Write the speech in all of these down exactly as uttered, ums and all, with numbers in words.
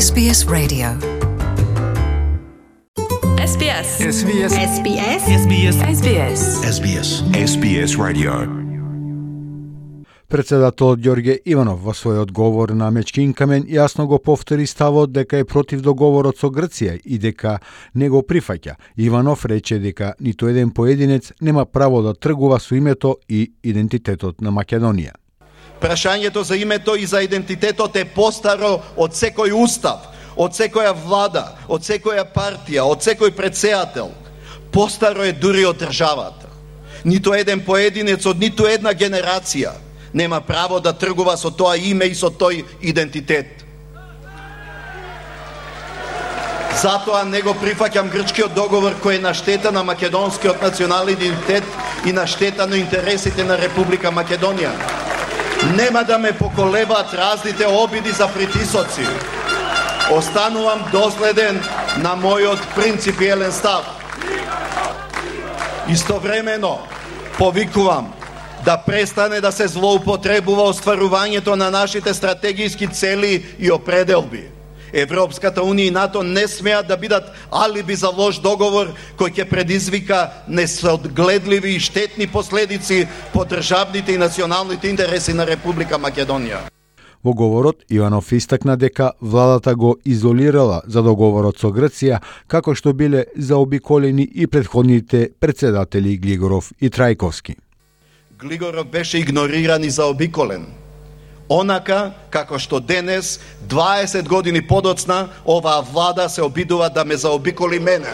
Ес Би Ес Radio. Ес Би Ес. Ес Би Ес. Ес Би Ес. Ес Би Ес. Ес Би Ес. Ес Би Ес. Ес Би Ес Radio. Председателот Ѓорѓе Иванов во својот говор на Мечкин камен јасно го повтори ставот дека е против договорот со Грција и дека не го прифаќа. Иванов рече дека ниту еден поединец нема право да тргува со името и идентитетот на Македонија. Прашањето за името и за идентитетот е постаро од секој устав, од секоја влада, од секоја партија, од секој претседател. Постаро е дури од државата. Ниту еден поединец од ниту една генерација нема право да тргува со тоа име и со тој идентитет. Затоа не го прифаќам грчкиот договор кој е на штета на македонскиот национален идентитет и на штета на интересите на Република Македонија. Нема да ме поколебаат разните обиди за притисоци. Останувам доследен на мојот принципиелен став. Истовремено повикувам да престане да се злоупотребува остварувањето на нашите стратегиски цели и определби. Европската унија и НАТО не смеат да бидат алиби за лош договор кој ќе предизвика несоодгледливи и штетни последици по државните и националните интереси на Република Македонија. Во говорот Иванов истакна дека владата го изолирала за договорот со Грција, како што биле заобиколени и претходните председатели Глигоров и Трајковски. Глигоров беше игнориран и заобиколен. Онака како што денес, дваесет години подоцна, оваа влада се обидува да ме заобиколи мене.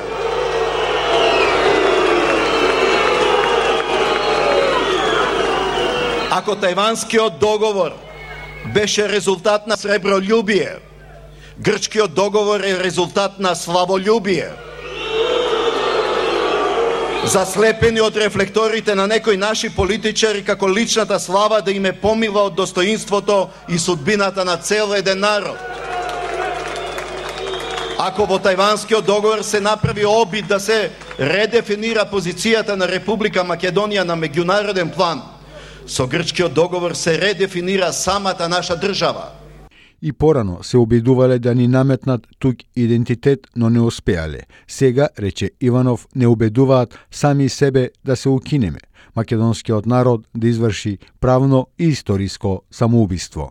Ако тајванскиот договор беше резултат на сребролюбие, грчкиот договор е резултат на славолюбие. Заслепени од рефлекторите на некои наши политичари како личната слава да им е помила од достоинството и судбината на цел еден народ. Ако во тајванскиот договор се направи обид да се редефинира позицијата на Република Македонија на меѓународен план, со грчкиот договор се редефинира самата наша држава. И порано се обидувале да ни наметнат тук идентитет, но не успеале. Сега, рече Иванов, не убедуваат сами себе да се укинеме, македонскиот народ да изврши правно и историско самоубиство.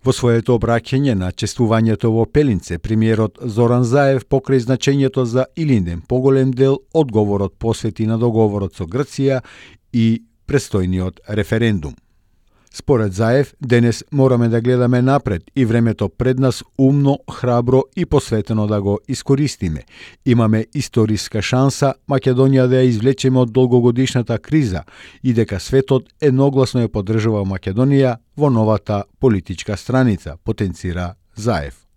Во своето обраќање на чествувањето во Пелинце, премиерот Зоран Заев покрај значењето за Илинден поголем дел одговорот посвети на договорот со Грција и престојниот референдум. Според Заев, денес мораме да гледаме напред и времето пред нас умно, храбро и посветено да го искористиме. Имаме историска шанса Македонија да ја извлечеме од долгогодишната криза и дека светот едногласно ја поддржува Македонија во новата политичка страница, потенцира Заев.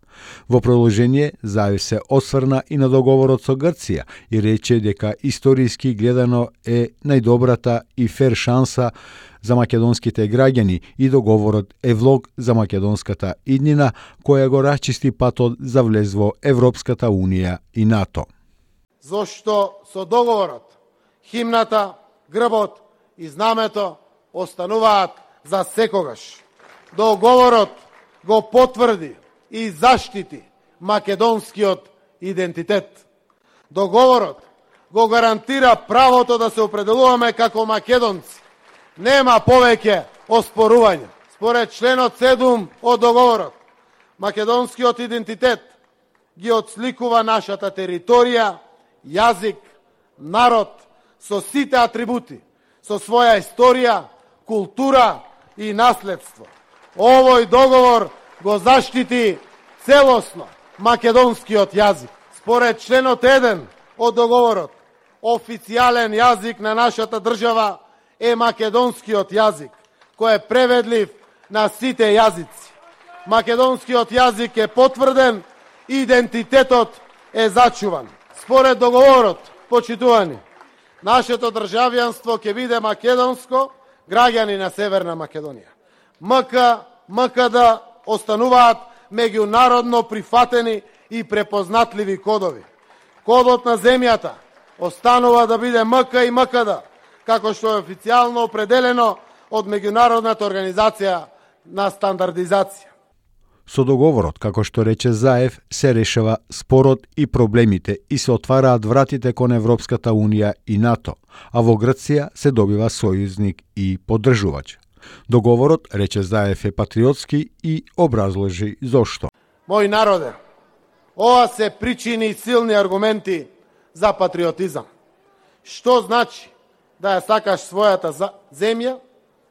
Во продолжение, Заев се осврна и на договорот со Грција и рече дека историски гледано е најдобрата и фер шанса за македонските граѓани и договорот е влог за македонската иднина која го расчисти патот за влез во Европската унија и НАТО. Зошто со договорот, химната, грбот и знамето остануваат за секогаш. Договорот го потврди и заштити македонскиот идентитет. Договорот го гарантира правото да се определуваме како македонци. Нема повеќе оспорување. Според членот седум од договорот, македонскиот идентитет ги отсликува нашата територија, јазик, народ со сите атрибути, со своја историја, култура и наследство. Овој договор го заштити целосно македонскиот јазик. Според членот еден од договорот, официјален јазик на нашата држава е македонскиот јазик, кој е преведлив на сите јазици. Македонскиот јазик е потврден, идентитетот е зачуван. Според договорот, почитувани, нашето државјанство ќе биде македонско, граѓани на Северна Македонија. МК, МКД остануваат меѓународно прифатени и препознатливи кодови. Кодот на земјата останува да биде МК и МКД, како што е официјално определено од Меѓународната организација на стандардизација. Со договорот, како што рече Заев, се решава спорот и проблемите и се отвараат вратите кон Европската Унија и НАТО, а во Грција се добива сојузник и поддржувач. Договорот, рече Заев, е патриотски и образложи зошто. Мој народе, ова се причини и силни аргументи за патриотизам. Што значи да ја сакаш својата земја,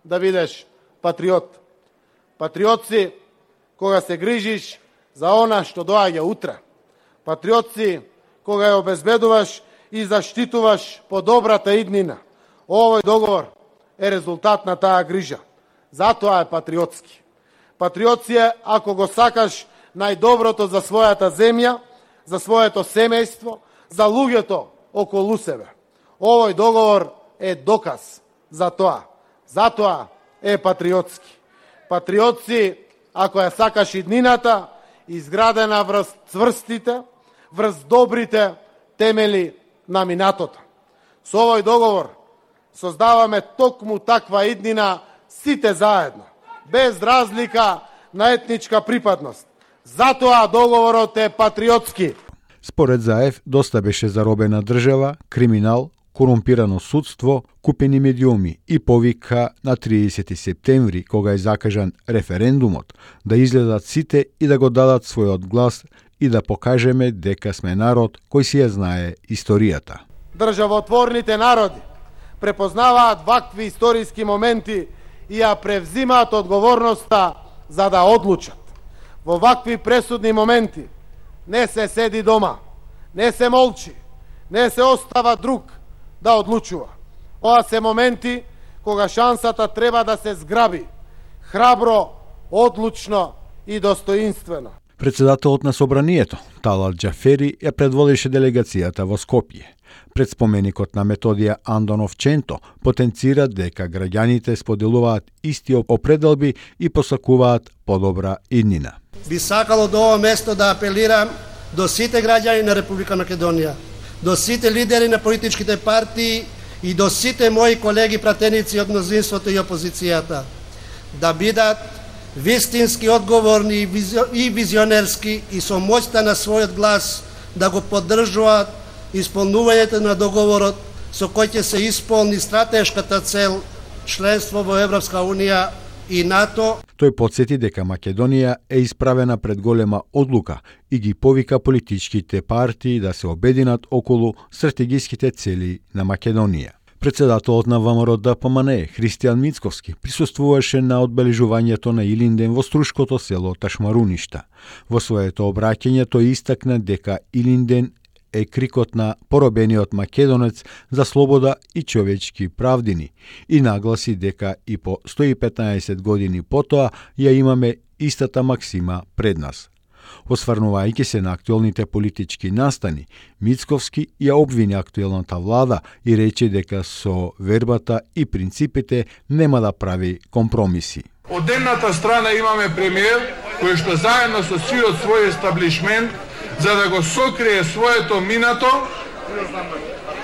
да бидеш патриот? Патриот си кога се грижиш за она што доаѓа утре. Патриот си кога ја обезбедуваш и заштитуваш по добрата иднина. Овој договор е резултат на таа грижа. Затоа е патриотски. Патриот си е ако го сакаш најдоброто за својата земја, за своето семејство, за луѓето околу себе. Овој договор е доказ за тоа. Затоа е патриотски. Патриот си ако ја сакаш иднината, изградена врз цврстите, врз добрите темели на минатото. Со овој договор создаваме токму таква иднина сите заедно, без разлика на етничка припадност. Затоа договорот е патриотски. Според Заев, доста беше заробена држава, криминал, корумпирано судство, купени медиуми и повика на триесети септември, кога е закажан референдумот, да излезат сите и да го дадат својот глас и да покажеме дека сме народ кој си ја знае историјата. Државотворните народи препознаваат вакви историски моменти и ја превзимаат одговорноста за да одлучат. Во вакви пресудни моменти не се седи дома, не се молчи, не се остава друг да одлучува. Ова се моменти кога шансата треба да се зграби, храбро, одлучно и достоинствено. Председателот на Собранието, Талат Џафери, ја предводеше делегацијата во Скопје. Пред споменикот на Методија Андонов Ченто потенцира дека граѓаните споделуваат исти определби и посакуваат подобра иднина. Би сакало до ова место да апелирам до сите граѓани на Република Македонија, до сите лидери на политичките партии и до сите мои колеги пратеници од мнозинството и опозицијата да бидат вистински одговорни и визионерски и со моќта на својот глас да го поддржуваат исполнувањето на договорот со кој ќе се исполни стратешката цел членство во Европска Унија и НАТО. Тој потсети дека Македонија е исправена пред голема одлука и ги повика политичките партии да се обединат околу стратегиските цели на Македонија. Председателот на ВМРО-ДПМНЕ, Христијан Мицковски, присуствуваше на одбележувањето на Илинден во струшкото село Ташмаруништа. Во своето обраќање тој истакна дека Илинден е крикот на поробениот македонец за слобода и човечки правдини и нагласи дека и по сто и петнаесет години потоа ја имаме истата максима пред нас. Осврнувајќи се на актуелните политички настани, Мицковски ја обвини актуелната влада и рече дека со вербата и принципите нема да прави компромиси. Од едната страна имаме премиер кој што заедно со сиот свој естаблишмент за да го сокрие своето минато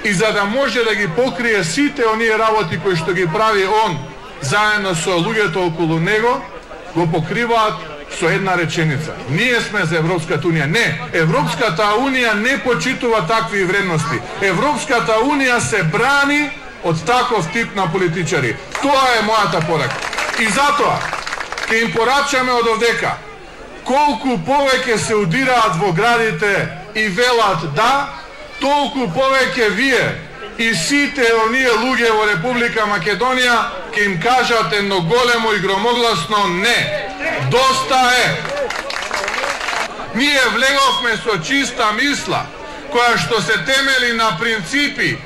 и за да може да ги покрие сите оние работи кои што ги прави он заедно со луѓето околу него, го покриваат со една реченица. Ние сме за Европската Унија. Не, Европската Унија не почитува такви вредности. Европската Унија се брани од таков тип на политичари. Тоа е мојата порака. И затоа ќе им порачаме од овдека колку повеќе се удираат во градите и велат да, толку повеќе вие и сите оние луѓе во Република Македонија ќе им кажат едно големо и громогласно не. Доста е. Ние влеговме со чиста мисла, која што се темели на принципи,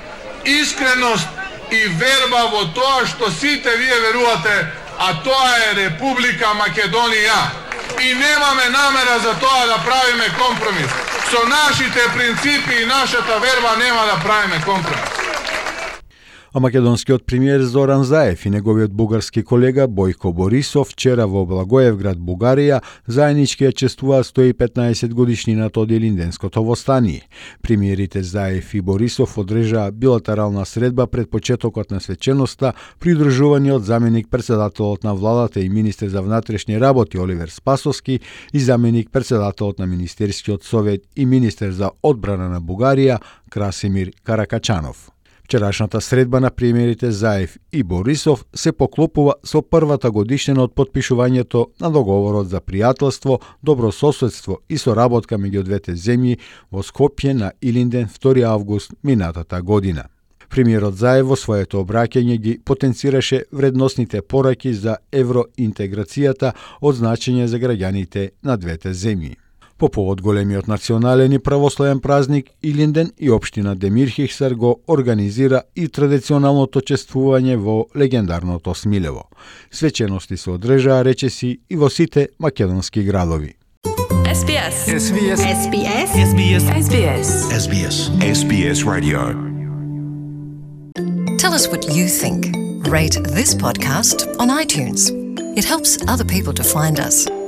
искреност и верба во тоа што сите вие верувате, а тоа е Република Македонија. И немаме намера за тоа да правиме компромис. Со нашите принципи и нашата верба нема да правиме компромис. А македонскиот премиер Зоран Заев и неговиот бугарски колега Бојко Борисов вчера во Благоевград, Бугарија, заеднички ја чествуваа сто и петнаесет годишнината од Илинденското востание. Премиерите Заев и Борисов одржаа билатерална средба пред почетокот на свеченоста, придружувани од заменик председателот на владата и министер за внатрешни работи Оливер Спасовски и заменик председателот на Министерскиот совет и министер за одбрана на Бугарија Красимир Каракачанов. Вчерашната средба на премиерите Заев и Борисов се поклопува со првата годишнина од подпишувањето на договорот за пријателство, добрососедство и соработка меѓу двете земји во Скопје на Илинден втори август минатата година. Премиерот Заев во своето обраќање ги потенцираше вредносните пораки за евроинтеграцијата од значење за граѓаните на двете земји. По повод големиот национален и православен празник Илинден и општина Демирхихсар го организира и традиционалното чествување во легендарното Смилево. Свечености се одржаа, речиси, и во сите македонски градови. S B S. S B S. S B S. S B S. S B S. S B S. S B S Radio. Tell us what you think. Rate this podcast on iTunes. It helps other people to find us.